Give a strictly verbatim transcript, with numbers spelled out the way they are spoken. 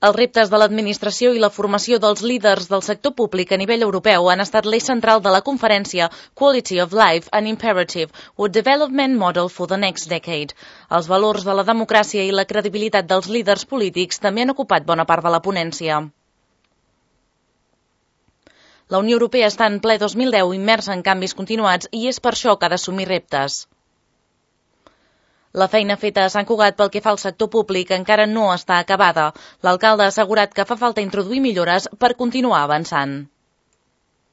Els reptes de l'administració i la formació dels líders del sector públic a nivell europeu han estat l'eix central de la conferència Quality of Life, an Imperative, or Development Model for the Next Decade. Els valors de la democràcia i la credibilitat dels líders polítics també han ocupat bona part de la ponència. La Unió Europea està en ple dos mil deu immersa en canvis continuats i és per això que ha d'assumir reptes. La feina feta a Sant Cugat pel que fa al sector públic encara no està acabada. L'alcalde ha assegurat que fa falta introduir millores per continuar avançant.